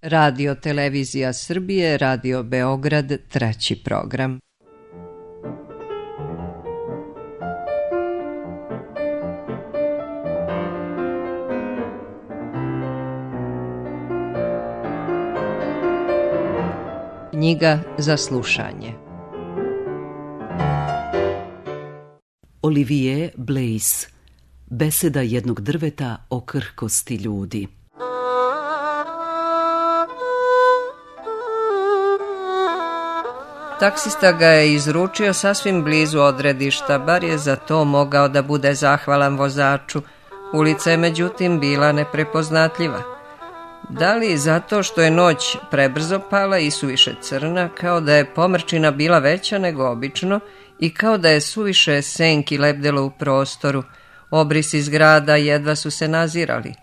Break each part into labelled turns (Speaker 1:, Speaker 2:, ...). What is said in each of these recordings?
Speaker 1: Radio Televizija Srbije, Radio Beograd, treći program. Knjiga za slušanje.
Speaker 2: Olivier Blaise. Beseda jednog drveta o krhkosti ljudi.
Speaker 1: Taksista ga je izručio sasvim blizu odredišta, bar je za to mogao da bude zahvalan vozaču. Ulica je međutim bila neprepoznatljiva. Da li zato što je noć prebrzo pala i suviše crna, kao da je pomrčina bila veća nego obično i kao da je suviše senki lebdelo u prostoru. Obrisi zgrada jedva su se nazirali.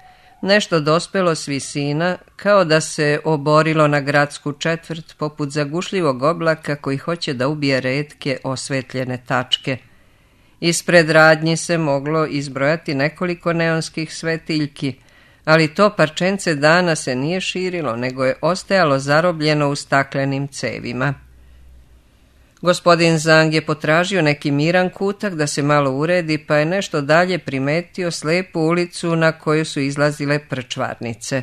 Speaker 1: Nešto dospelo s visina, kao da se oborilo na gradsku četvrt poput zagušljivog oblaka koji hoće da ubije retke osvetljene tačke. Ispred radnji se moglo izbrojati nekoliko neonskih svetiljki, ali to parčence dana se nije širilo, nego je ostajalo zarobljeno u staklenim cevima. Gospodin Zang je potražio neki miran kutak da se malo uredi, pa je nešto dalje primetio slepu ulicu na koju su izlazile prčvarnice.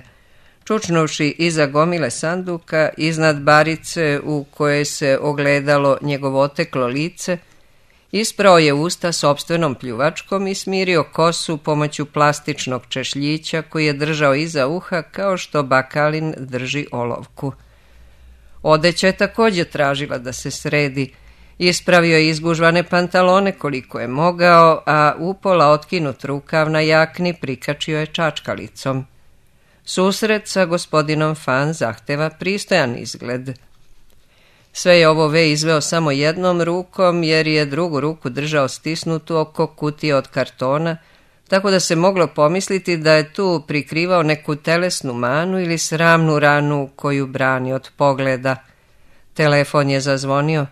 Speaker 1: Čučnuvši iza gomile sanduka, iznad barice u kojoj se ogledalo njegovo oteklo lice, isprao je usta sopstvenom pljuvačkom i smirio kosu pomoću plastičnog češljića koji je držao iza uha kao što bakalin drži olovku. Odeća je također tražila da se sredi. Ispravio je izgužvane pantalone koliko je mogao, a upola otkinut rukav na jakni prikačio je čačkalicom. Susret sa gospodinom Fan zahteva pristojan izgled. Sve je ovo Ve izveo samo jednom rukom, jer je drugu ruku držao stisnutu oko kutije od kartona, tako da se moglo pomisliti da je tu prikrivao neku telesnu manu ili sramnu ranu koju brani od pogleda. Telefon je zazvonio.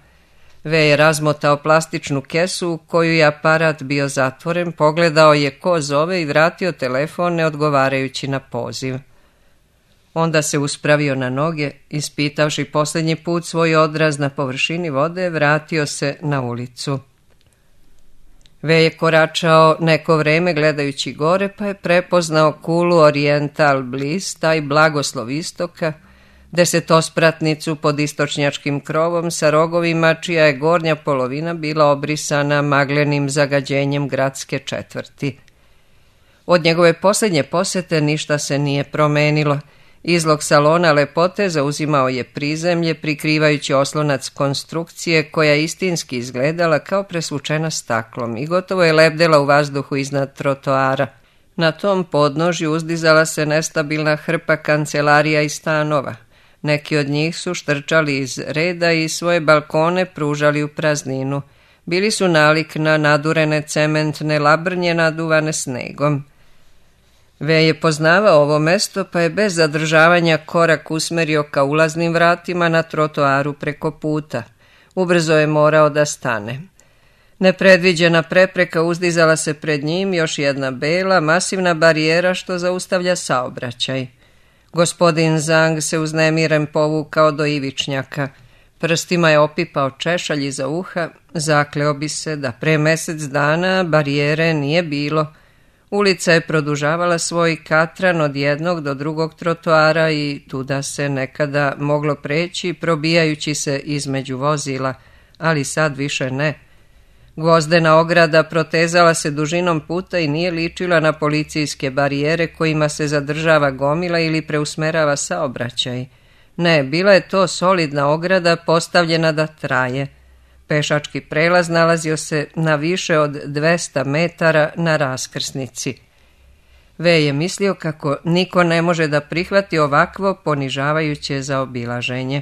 Speaker 1: Ve je razmotao plastičnu kesu u koju je aparat bio zatvoren, pogledao je ko zove i vratio telefon ne odgovarajući na poziv. Onda se uspravio na noge, ispitavši posljednji put svoj odraz na površini vode, vratio se na ulicu. Ve je koračao neko vreme gledajući gore, pa je prepoznao kulu Oriental Bliss, taj blagoslov istoka, desetospratnicu pod istočnjačkim krovom sa rogovima čija je gornja polovina bila obrisana maglenim zagađenjem gradske četvrti. Od njegove posljednje posete ništa se nije promenilo. Izlog salona lepote zauzimao je prizemlje, prikrivajući oslonac konstrukcije koja istinski izgledala kao presvučena staklom i gotovo je lebdela u vazduhu iznad trotoara. Na tom podnožju uzdizala se nestabilna hrpa kancelarija i stanova. Neki od njih su štrčali iz reda i svoje balkone pružali u prazninu. Bili su nalik na nadurene cementne labrnje naduvane snegom. Ve je poznavao ovo mesto, pa je bez zadržavanja korak usmerio ka ulaznim vratima na trotoaru preko puta. Ubrzo je morao da stane. Nepredviđena prepreka uzdizala se pred njim, još jedna bela, masivna barijera što zaustavlja saobraćaj. Gospodin Zang se uznemiren povukao do ivičnjaka. Prstima je opipao češalj iza uha, zakleo bi se da pre mesec dana barijere nije bilo. Ulica je produžavala svoj katran od jednog do drugog trotoara i tuda se nekada moglo preći probijajući se između vozila, ali sad više ne. Gvozdena ograda protezala se dužinom puta i nije ličila na policijske barijere kojima se zadržava gomila ili preusmerava saobraćaj. Ne, bila je to solidna ograda postavljena da traje. Pešački prelaz nalazio se na više od 200 metara na raskrsnici. Ve je mislio kako niko ne može da prihvati ovakvo ponižavajuće zaobilaženje.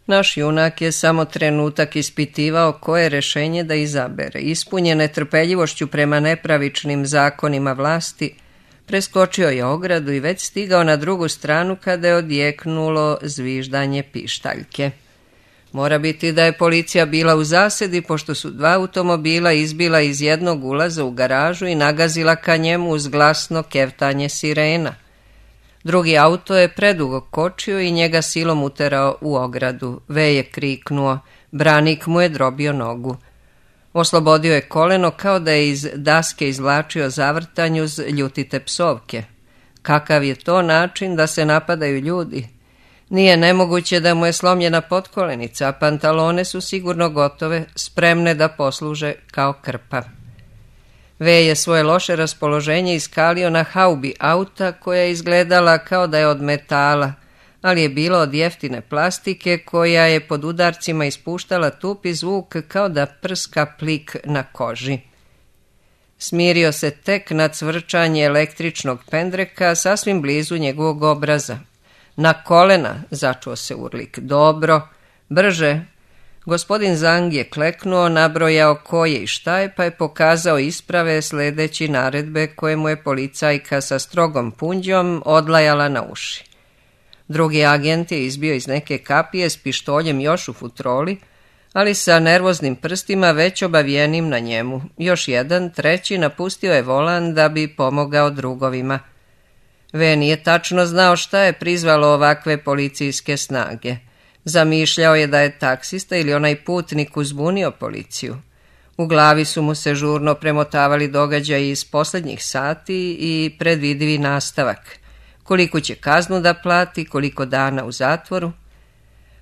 Speaker 1: Naš junak je samo trenutak ispitivao koje rešenje da izabere. Ispunjen netrpeljivošću prema nepravičnim zakonima vlasti, preskočio je ogradu i već stigao na drugu stranu kada je odjeknulo zviždanje pištaljke. Mora biti da je policija bila u zasedi, pošto su 2 automobila izbila iz jednog ulaza u garažu i nagazila ka njemu uz glasno kevtanje sirena. Drugi auto je predugo kočio i njega silom uterao u ogradu. V je kriknuo, branik mu je drobio nogu. Oslobodio je koleno kao da je iz daske izvlačio zavrtanj uz ljutite psovke. Kakav je to način da se napadaju ljudi? Nije nemoguće da mu je slomljena potkolenica, a pantalone su sigurno gotove, spremne da posluže kao krpa. V je svoje loše raspoloženje iskalio na haubi auta koja je izgledala kao da je od metala, ali je bila od jeftine plastike koja je pod udarcima ispuštala tupi zvuk kao da prska plik na koži. Smirio se tek na cvrčanje električnog pendreka sasvim blizu njegovog obraza. Na kolena, začuo se urlik. Dobro, brže. Gospodin Zang je kleknuo, nabrojao ko je i šta je, pa je pokazao isprave sledeći naredbe koje mu je policajka sa strogom punđom odlajala na uši. Drugi agent je izbio iz neke kapije s pištoljem još u futroli, ali sa nervoznim prstima već obavijenim na njemu. Još jedan, treći, napustio je volan da bi pomogao drugovima. V nije tačno znao šta je prizvalo ovakve policijske snage. Zamišljao je da je taksista ili onaj putnik uzbunio policiju. U glavi su mu se žurno premotavali događaji iz posljednjih sati i predvidivi nastavak. Koliko će kaznu da plati, koliko dana u zatvoru.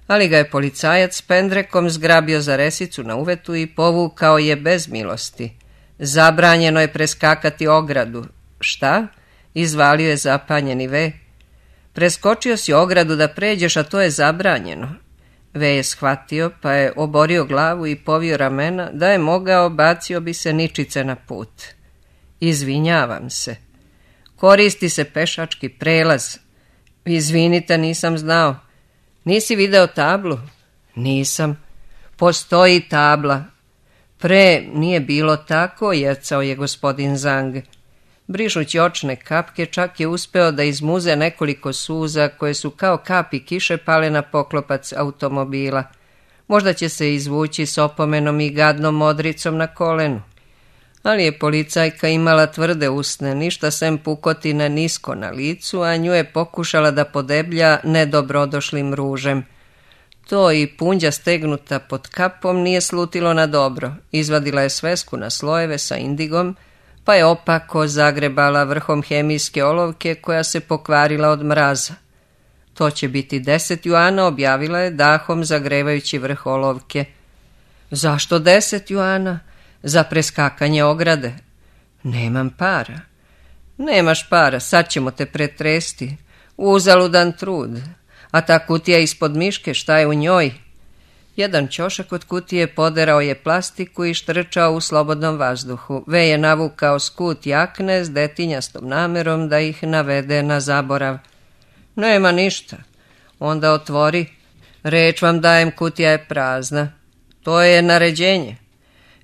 Speaker 1: Ali ga je policajac s pendrekom zgrabio za resicu na uvetu i povukao je bez milosti. Zabranjeno je preskakati ogradu. Šta? Izvalio je zapanjeni V. Preskočio si ogradu da pređeš, a to je zabranjeno. V je shvatio, pa je oborio glavu i povio ramena, da je mogao, bacio bi se ničice na put. Izvinjavam se. Koristi se pešački prelaz. Izvinite, nisam znao. Nisi video tablu? Nisam. Postoji tabla. Pre nije bilo tako, jecao je gospodin Zang. Brišući očne kapke, čak je uspeo da izmuze nekoliko suza koje su kao kapi kiše pale na poklopac automobila. Možda će se izvući s opomenom i gadnom modricom na kolenu. Ali je policajka imala tvrde usne, ništa sem pukotine nisko na licu, a nju je pokušala da podeblja nedobrodošlim ružem. To i punđa stegnuta pod kapom nije slutilo na dobro. Izvadila je svesku na slojeve sa indigom, pa je opako zagrebala vrhom hemijske olovke koja se pokvarila od mraza. To će biti 10 juana, objavila je dahom zagrevajući vrh olovke. Zašto 10 juana? Za preskakanje ograde. Nemam para. Nemaš para, sad ćemo te pretresti. Uzaludan trud. A ta kutija ispod miške, šta je u njoj? Jedan ćošak od kutije poderao je plastiku i štrčao u slobodnom vazduhu. V je navukao skut jakne s detinjastom namerom da ih navede na zaborav. Nema ništa. Onda otvori. Reč vam dajem, kutija je prazna. To je naređenje.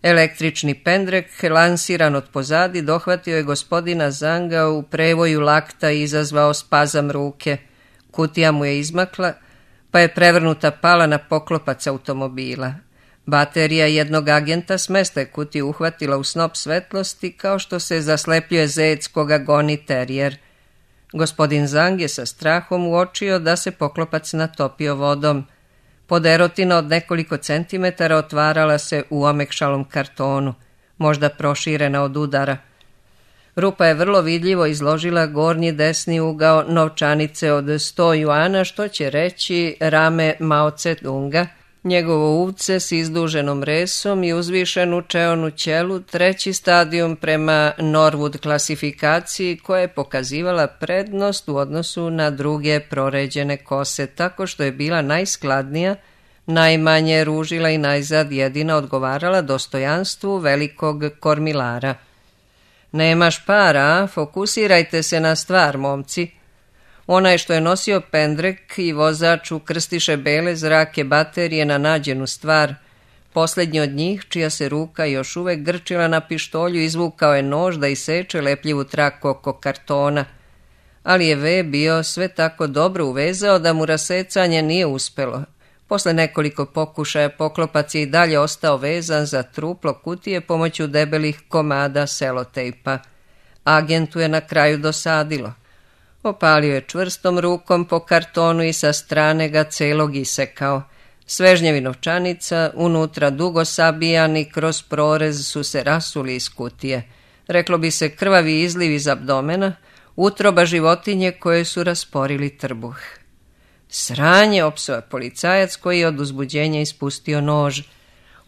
Speaker 1: Električni pendrek, lansiran od pozadi, dohvatio je gospodina Zanga u prevoju lakta i izazvao spazam ruke. Kutija mu je izmakla, pa je prevrnuta pala na poklopac automobila. Baterija jednog agenta s mesta je kutiju uhvatila u snop svetlosti kao što se zaslepljuje zec koga goni terijer. Gospodin Zang je sa strahom uočio da se poklopac natopio vodom. Poderotina od nekoliko centimetara otvarala se u omekšalom kartonu, možda proširena od udara. Rupa je vrlo vidljivo izložila gornji desni ugao novčanice od 100 juana, što će reći rame Mao Tse-tunga, njegovo uvce s izduženom resom i uzvišenu čeonu ćelu, treći stadijum prema Norwood klasifikaciji koja je pokazivala prednost u odnosu na druge proređene kose, tako što je bila najskladnija, najmanje ružila i najzad jedina odgovarala dostojanstvu velikog kormilara. Nemaš para, fokusirajte se na stvar, momci. Onaj što je nosio pendrek i vozač ukrstiše bele zrake baterije na nađenu stvar. Posljednji od njih, čija se ruka još uvek grčila na pištolju, izvukao je nož da iseče lepljivu traku oko kartona. Ali je V bio sve tako dobro uvezao da mu rasecanje nije uspelo. Posle nekoliko pokušaja poklopac je i dalje ostao vezan za truplo kutije pomoću debelih komada selotejpa. Agentu je na kraju dosadilo. Opalio je čvrstom rukom po kartonu i sa strane ga celog isekao. Svežnjevi novčanica, unutra dugo sabijani, kroz prorez su se rasuli iz kutije. Reklo bi se krvavi izliv iz abdomena, utroba životinje koje su rasporili trbuh. Sranje, opsova policajac koji je od uzbuđenja ispustio nož.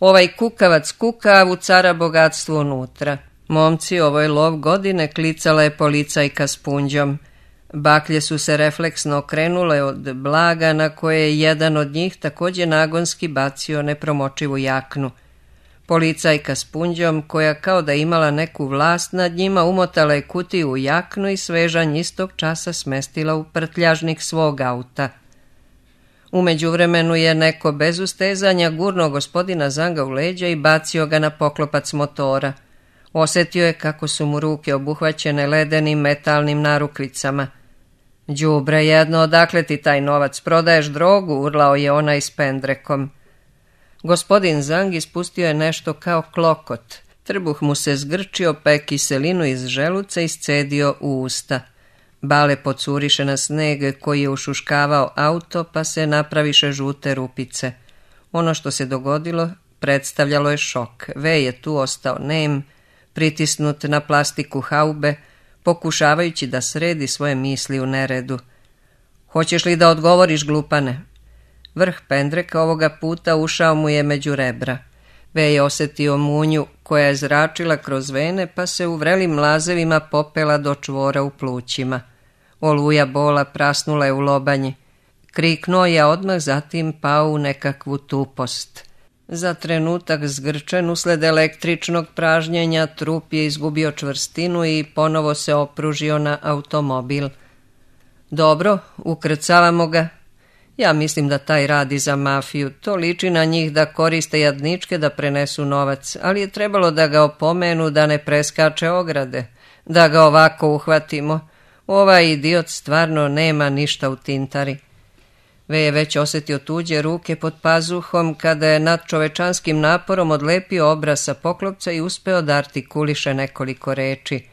Speaker 1: Ovaj kukavac kukav ucara bogatstvo unutra. Momci, ovo je lov godine, klicala je policajka s punđom. Baklje su se refleksno okrenule od blaga na koje je jedan od njih također nagonski bacio nepromočivu jaknu. Policajka s punđom, koja kao da imala neku vlast nad njima, umotala je kutiju u jaknu i svežanj istog časa smestila u prtljažnik svog auta. U međuvremenu je neko bez ustezanja gurnuo gospodina Zanga u leđa i bacio ga na poklopac motora. Osjetio je kako su mu ruke obuhvaćene ledenim metalnim narukvicama. Đubre jedno, odakle ti taj novac, prodaješ drogu, urlao je onaj s pendrekom. Gospodin Zang ispustio je nešto kao klokot. Trbuh mu se zgrčio, pa je kiselinu iz želuca iscedio u usta. Bale pocuriše na sneg koji je ušuškavao auto, pa se napraviše žute rupice. Ono što se dogodilo predstavljalo je šok. Ve je tu ostao nem, pritisnut na plastiku haube, pokušavajući da sredi svoje misli u neredu. Hoćeš li da odgovoriš, glupane? Vrh pendreka ovoga puta ušao mu je među rebra. Ve je osjetio munju koja je zračila kroz vene, pa se u vrelim mlazevima popela do čvora u plućima. Oluja bola prasnula je u lobanji. Kriknuo je, odmah zatim pao u nekakvu tupost. Za trenutak zgrčen usled električnog pražnjenja, trup je izgubio čvrstinu i ponovo se opružio na automobil. Dobro, ukrcavamo ga. Ja mislim da taj radi za mafiju. To liči na njih da koriste jadničke da prenesu novac, ali je trebalo da ga opomenu da ne preskače ograde, da ga ovako uhvatimo. Ovaj idiot stvarno nema ništa u tintari. Ve je već osjetio tuđe ruke pod pazuhom kada je nad čovečanskim naporom odlepio obraz sa poklopca i uspeo da artikuliše nekoliko reči.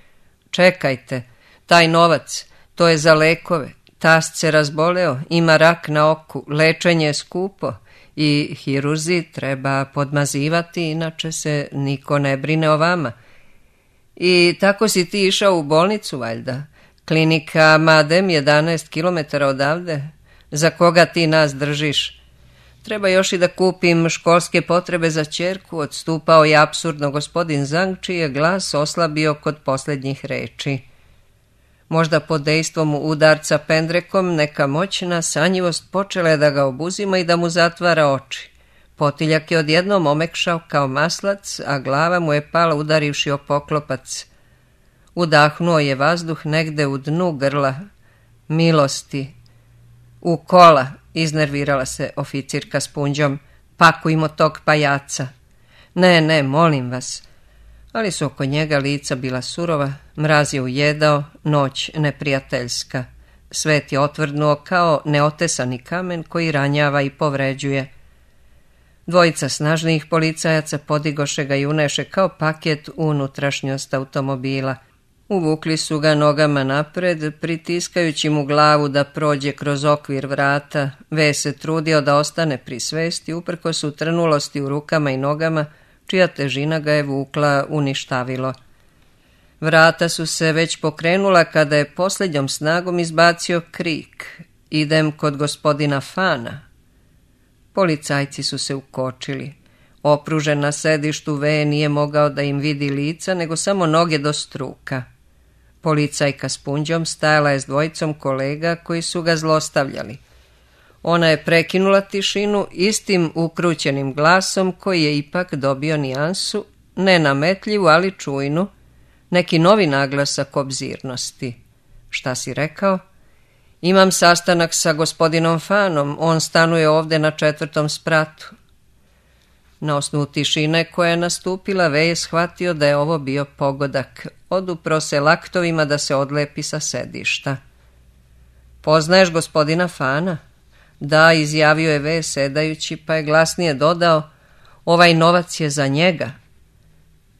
Speaker 1: Čekajte, taj novac, to je za lekove. Tast se razboleo, ima rak na oku, lečenje je skupo i hirurzi treba podmazivati, inače se niko ne brine o vama. I tako si ti išao u bolnicu, valjda? Klinika Madem 11 km odavde. Za koga ti nas držiš? Treba još i da kupim školske potrebe za ćerku, odstupao je apsurdno gospodin Zang, čiji je glas oslabio kod posljednjih reči. Možda pod dejstvom udarca pendrekom neka moćna sanjivost počela je da ga obuzima i da mu zatvara oči. Potiljak je odjednom omekšao kao maslac, a glava mu je pala udarivši o poklopac. Udahnuo je vazduh negde u dnu grla. Milosti. U kola, iznervirala se oficirka s punđom. Pakujmo tog pajaca. Ne, molim vas. Ali su oko njega lica bila surova, mraz je ujedao, noć neprijateljska. Svet je otvrdnuo kao neotesani kamen koji ranjava i povređuje. Dvojica snažnijih policajaca podigoše ga i uneše kao paket u unutrašnjost automobila. Uvukli su ga nogama napred, pritiskajući mu glavu da prođe kroz okvir vrata. Ve se trudio da ostane pri svesti, uprkos utrnulosti u rukama i nogama, čija težina ga je vukla uništavilo. Vrata su se već pokrenula kada je posljednjom snagom izbacio krik. Idem kod gospodina Fana. Policajci su se ukočili. Opružen na sedištu, Ve nije mogao da im vidi lica, nego samo noge do struka. Policajka s punđom stajala je s dvojicom kolega koji su ga zlostavljali. Ona je prekinula tišinu istim ukrućenim glasom koji je ipak dobio nijansu, ne nametljivu, ali čujnu, neki novi naglasak obzirnosti. Šta si rekao? Imam sastanak sa gospodinom Fanom, on stanuje ovde na 4. spratu. Na osnovu tišine koja je nastupila, Ve je shvatio da je ovo bio pogodak. Odupro se laktovima da se odlepi sa sedišta. Poznaješ gospodina Fana? Da, izjavio je Ve sedajući, pa je glasnije dodao, ovaj novac je za njega.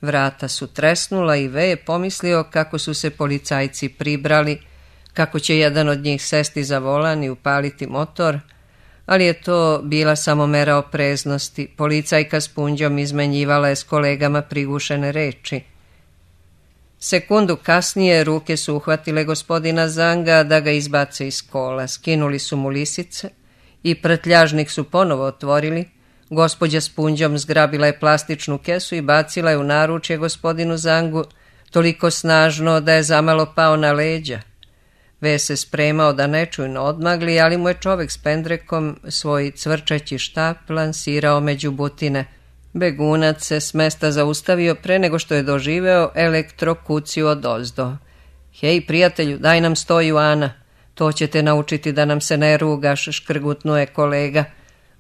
Speaker 1: Vrata su tresnula i Ve je pomislio kako su se policajci pribrali, kako će jedan od njih sesti za volan i upaliti motor, ali je to bila samo mera opreznosti. Policajka s punđom izmenjivala je s kolegama prigušene reči. Sekundu kasnije ruke su uhvatile gospodina Zanga da ga izbace iz kola. Skinuli su mu lisice i prtljažnik su ponovo otvorili. Gospođa s punđom zgrabila je plastičnu kesu i bacila je u naručje gospodinu Zangu toliko snažno da je zamalo pao na leđa. Ve se spremao da nečujno odmagli, ali mu je čovek s pendrekom svoj cvrčeći štap lansirao među butine. Begunac se s mesta zaustavio pre nego što je doživeo elektrokuciju odozdo. Hej, prijatelju, daj nam 100 juana. To će te naučiti da nam se ne rugaš, škrgutnuje kolega.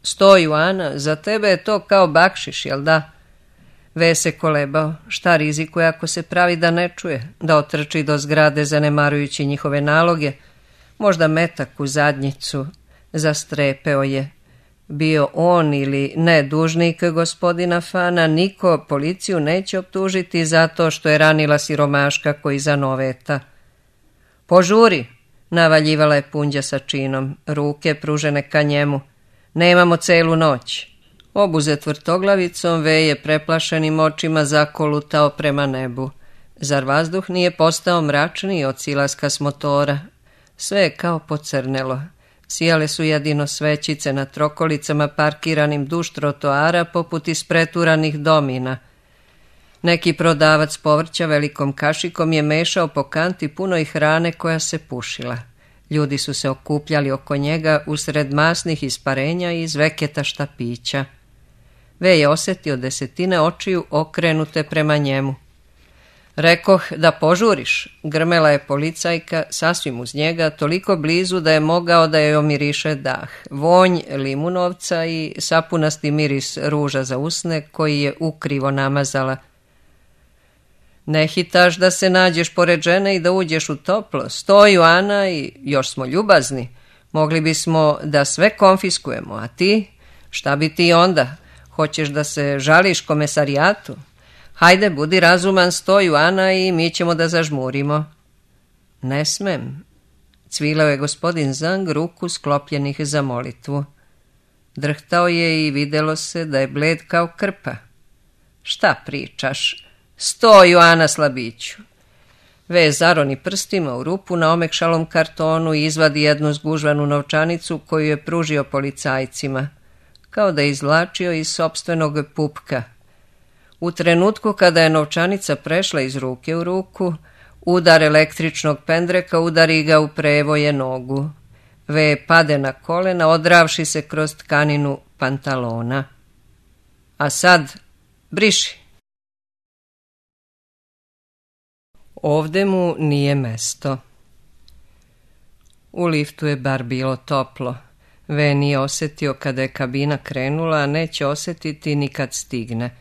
Speaker 1: 100 juana, za tebe je to kao bakšiš, jel da? Ve se kolebao. Šta rizikuje ako se pravi da ne čuje, da otrči do zgrade zanemarujući njihove naloge? Možda metak u zadnjicu. Zastrepeo je. Bio on ili ne dužnik gospodina Fana, niko policiju neće optužiti zato što je ranila siromaška koji zanoveta. Požuri, navaljivala je punđa sa činom, ruke pružene ka njemu. Nemamo celu noć. Obuzet vrtoglavicom, Ve je preplašenim očima zakolutao prema nebu. Zar vazduh nije postao mračniji od silaska s motora? Sve je kao pocrnelo. Sijale su jedino svećice na trokolicama parkiranim duž trotoara poput ispreturanih domina. Neki prodavac povrća velikom kašikom je mešao po kanti punoj hrane koja se pušila. Ljudi su se okupljali oko njega usred masnih isparenja i iz veketa štapića. Ve je osjetio desetine očiju okrenute prema njemu. Rekoh da požuriš, grmela je policajka sasvim uz njega, toliko blizu da je mogao da joj omiriše dah. Vonj limunovca i sapunasti miris ruža za usne koji je ukrivo namazala. Ne hitaš da se nađeš pored žene i da uđeš u toplo. 100 juana i još smo ljubazni. Mogli bismo da sve konfiskujemo, a ti? Šta bi ti onda? Hoćeš da se žališ komesarijatu? Hajde, budi razuman, 100 juana i mi ćemo da zažmurimo. Ne smem. Cvilao je gospodin Zang ruku sklopljenih za molitvu. Drhtao je i videlo se da je bled kao krpa. Šta pričaš? 100 juana, slabiću. Ve zaroni prstima u rupu na omekšalom kartonu i izvadi jednu zgužvanu novčanicu koju je pružio policajcima, kao da je izvlačio iz sopstvenog pupka. U trenutku kada je novčanica prešla iz ruke u ruku, udar električnog pendreka udari ga u prevoje nogu. Ve pade na kolena, odravši se kroz tkaninu pantalona. A sad, briši. Ovde mu nije mesto. U liftu je bar bilo toplo. Ve nije osjetio kada je kabina krenula, a neće osjetiti ni kad stigne.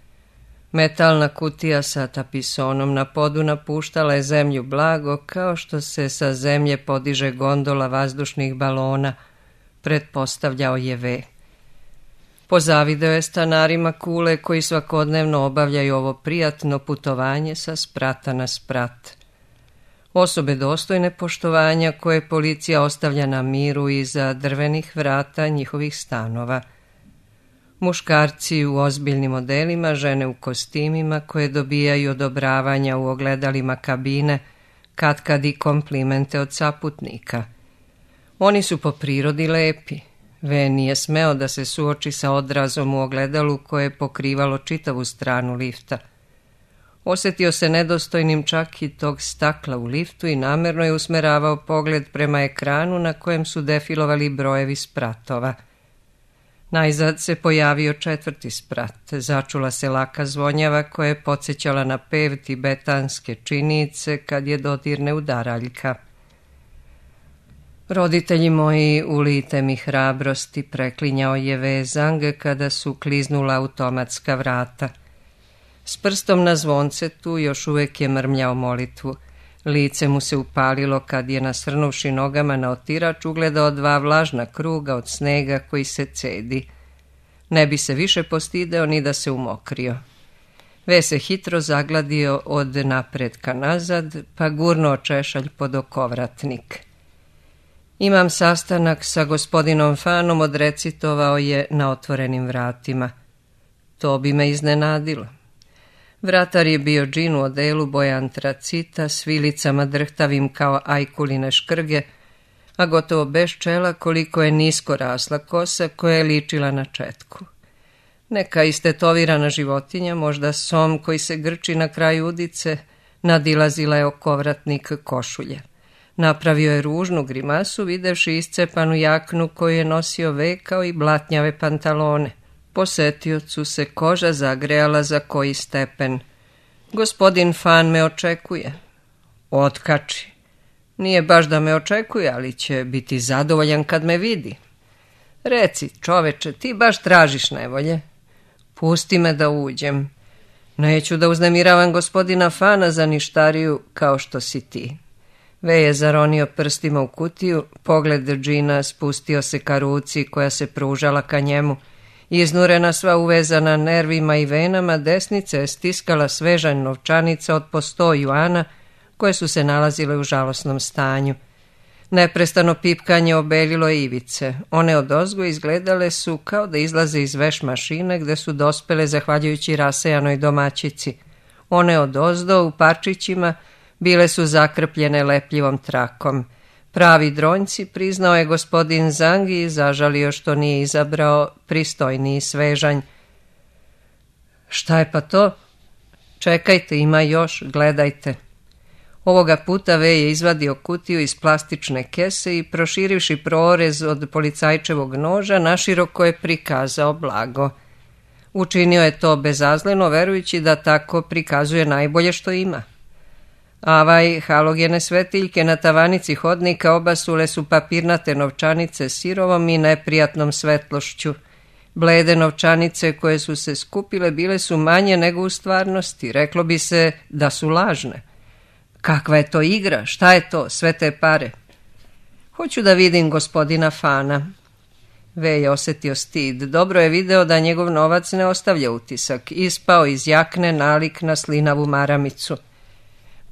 Speaker 1: Metalna kutija sa tapisonom na podu napuštala je zemlju blago, kao što se sa zemlje podiže gondola vazdušnih balona, pretpostavljao je Ve. Pozavideo je stanarima Kule koji svakodnevno obavljaju ovo prijatno putovanje sa sprata na sprat. Osobe dostojne poštovanja koje policija ostavlja na miru iza drvenih vrata njihovih stanova. Muškarci u ozbiljnim odelima, žene u kostimima koje dobijaju odobravanja u ogledalima kabine, katkad i komplimente od saputnika. Oni su po prirodi lepi. Ve nije smeo da se suoči sa odrazom u ogledalu koje je pokrivalo čitavu stranu lifta. Osjetio se nedostojnim čak i tog stakla u liftu i namerno je usmeravao pogled prema ekranu na kojem su defilovali brojevi spratova. Najzad se pojavio 4. sprat. Začula se laka zvonjava koja je podsjećala na pev tibetanske činice kad je dodirne udaraljka. Roditelji moji, ulite mi hrabrosti, preklinjao je Ve Zang kada su kliznula automatska vrata. S prstom na zvoncetu još uvijek je mrmljao molitvu. Lice mu se upalilo kad je, nasrnuvši nogama na otirač, ugledao 2 vlažna kruga od snega koji se cedi. Ne bi se više postideo ni da se umokrio. Ve se hitro zagladio od napred ka nazad, pa gurnuo češalj pod okovratnik. Imam sastanak sa gospodinom Fanom, odrecitovao je na otvorenim vratima. To bi me iznenadilo. Vratar je bio džin u odelu boje antracita, s vilicama drhtavim kao ajkuline škrge, a gotovo bez čela koliko je nisko rasla kosa koja je ličila na četku. Neka istetovirana životinja, možda som koji se grči na kraju udice, nadilazila je okovratnik košulje. Napravio je ružnu grimasu videvši iscepanu jaknu koju je nosio vekao i blatnjave pantalone. Posetiocu se koža zagrejala za koji stepen. Gospodin Fan me očekuje. Otkači. Nije baš da me očekuje, ali će biti zadovoljan kad me vidi. Reci, čoveče, ti baš tražiš nevolje. Pusti me da uđem. Neću da uznemiravam gospodina Fana za ništariju kao što si ti. Ve je zaronio prstima u kutiju, pogled džina spustio se ka ruci koja se pružala ka njemu. Iznurena sva uvezana nervima i venama, desnica je stiskala svežanj novčanica od po 100 juana, koje su se nalazile u žalosnom stanju. Neprestano pipkanje obeljilo ivice. One odozgo izgledale su kao da izlaze iz veš mašine gde su dospele zahvaljujući rasejanoj domaćici. One odozdo u parčićima bile su zakrpljene lepljivom trakom. Pravi dronjci, priznao je gospodin Zang i zažalio što nije izabrao pristojniji svežanj. Šta je pa to? Čekajte, ima još, gledajte. Ovoga puta Ve je izvadio kutiju iz plastične kese i proširivši prorez od policajčevog noža, naširoko je prikazao blago. Učinio je to bezazleno, verujući da tako prikazuje najbolje što ima. Avaj, halogene svetiljke na tavanici hodnika obasule su papirnate novčanice sirovom i neprijatnom svetlošću. Blede novčanice koje su se skupile bile su manje nego u stvarnosti, reklo bi se da su lažne. Kakva je to igra? Šta je to? Sve te pare. Hoću da vidim gospodina Fana. Ve je osjetio stid. Dobro je video da njegov novac ne ostavlja utisak. Ispao iz jakne nalik na slinavu maramicu.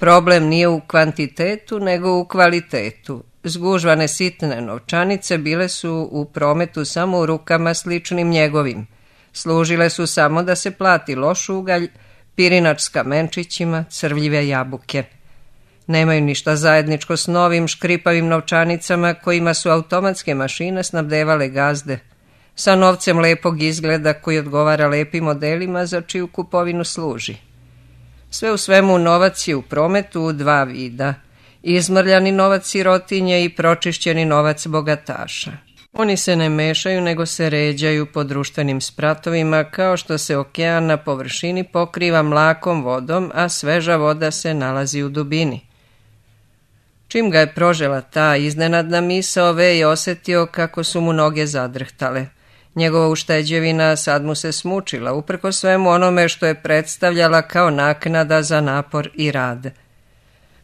Speaker 1: Problem nije u kvantitetu, nego u kvalitetu. Zgužvane sitne novčanice bile su u prometu samo u rukama sličnim njegovim. Služile su samo da se plati loš ugalj, pirinač s kamenčićima, crvljive jabuke. Nemaju ništa zajedničko s novim škripavim novčanicama kojima su automatske mašine snabdevale gazde. Sa novcem lepog izgleda koji odgovara lepim modelima za čiju kupovinu služi. Sve u svemu novac je u prometu u dva vida. Izmrljani novac sirotinje i pročišćeni novac bogataša. Oni se ne mešaju nego se ređaju po društvenim spratovima kao što se okean na površini pokriva mlakom vodom, a sveža voda se nalazi u dubini. Čim ga je prožela ta iznenadna misao, Ve je osjetio kako su mu noge zadrhtale. Njegova ušteđevina sad mu se smučila, uprko svemu onome što je predstavljala kao naknada za napor i rad.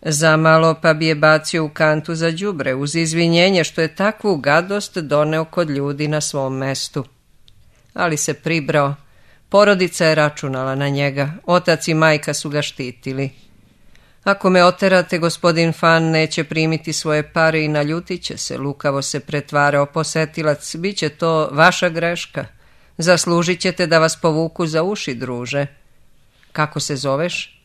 Speaker 1: Zamalo pa bi je bacio u kantu za đubre, uz izvinjenje što je takvu gadost doneo kod ljudi na svom mestu. Ali se pribrao. Porodica je računala na njega, otac i majka su ga štitili. Ako me oterate, gospodin Fan neće primiti svoje pare i naljutit će se, lukavo se pretvarao posetilac, bit će to vaša greška. Zaslužit ćete da vas povuku za uši, druže. Kako se zoveš?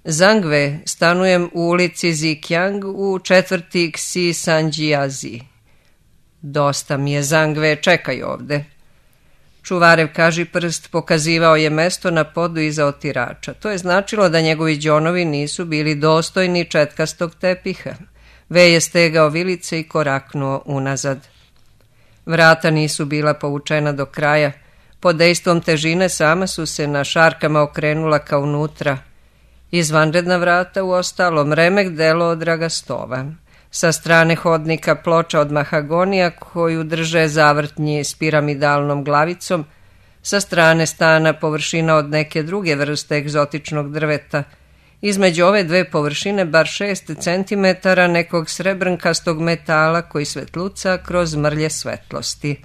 Speaker 1: Zangve, stanujem u ulici Zikjang u četvrti Ksi Sanjiazi. Dosta mi je, Zangve, čekaj ovde. Čuvarev kažiprst pokazivao je mesto na podu iza otirača. To je značilo da njegovi đonovi nisu bili dostojni četkastog tepiha. Ve je stegao vilice i koraknuo unazad. Vrata nisu bila povučena do kraja. Pod dejstvom težine sama su se na šarkama okrenula ka unutra. Izvanredna vrata u ostalom remek delo od dragastova. Sa strane hodnika ploča od mahagonija koju drže zavrtnji s piramidalnom glavicom, sa strane stana površina od neke druge vrste egzotičnog drveta. Između ove dve površine bar 6 centimetara nekog srebrnkastog metala koji svetluca kroz mrlje svetlosti.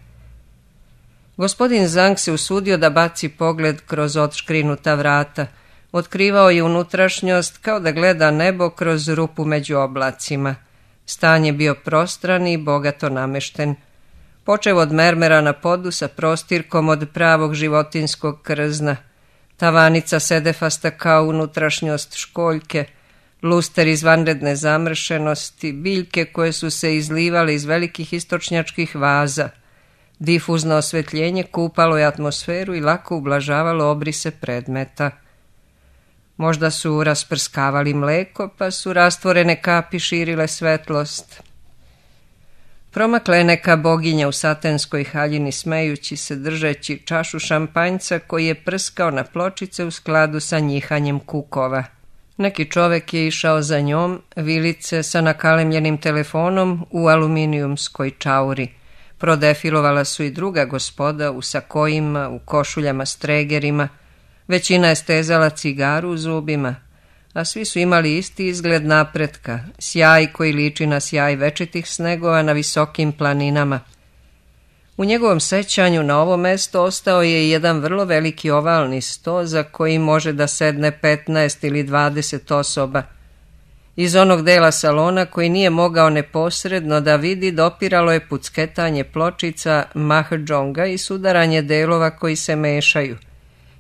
Speaker 1: Gospodin Zang se usudio da baci pogled kroz odškrinuta vrata. Otkrivao je unutrašnjost kao da gleda nebo kroz rupu među oblacima. Stan je bio prostran i bogato namešten. Počev od mermera na podu sa prostirkom od pravog životinskog krzna, tavanica sedefasta kao unutrašnjost školjke, luster iz vanredne zamršenosti, biljke koje su se izlivale iz velikih istočnjačkih vaza. Difuzno osvetljenje kupalo je atmosferu i lako ublažavalo obrise predmeta. Možda su rasprskavali mleko, pa su rastvorene kapi širile svetlost. Promakla je neka boginja u satenskoj haljini smejući se, držeći čašu šampanjca koji je prskao na pločice u skladu sa njihanjem kukova. Neki čovek je išao za njom, vilice sa nakalemljenim telefonom u aluminijumskoj čauri. Prodefilovala su i druga gospoda u sakojima, u košuljama s tregerima. Većina je stezala cigaru u zubima, a svi su imali isti izgled napretka, sjaj koji liči na sjaj večitih snegova na visokim planinama. U njegovom sećanju na ovo mesto ostao je jedan vrlo veliki ovalni sto za koji može da sedne 15 ili 20 osoba. Iz onog dela salona koji nije mogao neposredno da vidi dopiralo je pucketanje pločica mahadžonga i sudaranje delova koji se mešaju.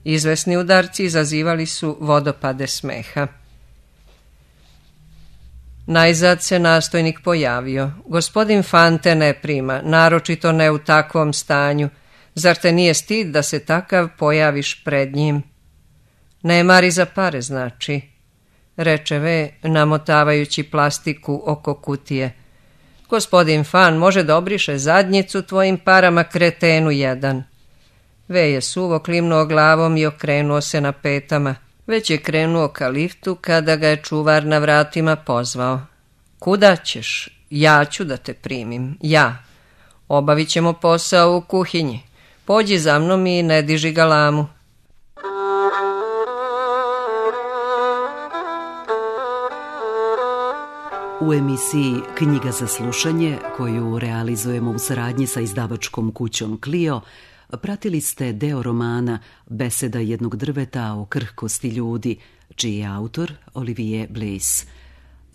Speaker 1: Izvesni udarci izazivali su vodopade smeha. Najzad se nastojnik pojavio. Gospodin Fante ne prima, naročito ne u takvom stanju. Zar te nije stid da se takav pojaviš pred njim? Ne mari za pare, znači, reče V, namotavajući plastiku oko kutije. Gospodin Fan može da obriše zadnjicu tvojim parama, kretenu jedan. V je suvo klimnuo glavom i okrenuo se na petama. Već je krenuo ka liftu kada ga je čuvar na vratima pozvao. Kuda ćeš? Ja ću da te primim. Ja. Obavit ćemo posao u kuhinji. Pođi za mnom i ne diži galamu.
Speaker 2: U emisiji Knjiga za slušanje, koju realizujemo u saradnji sa izdavačkom kućom Clio, pratili ste deo romana Beseda jednog drveta o krhkosti ljudi, čiji je autor Olivier Bleys.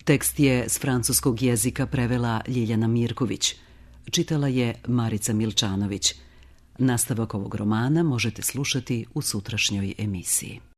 Speaker 2: Tekst je s francuskog jezika prevela Ljiljana Mirković. Čitala je Marica Milčanović. Nastavak ovog romana možete slušati u sutrašnjoj emisiji.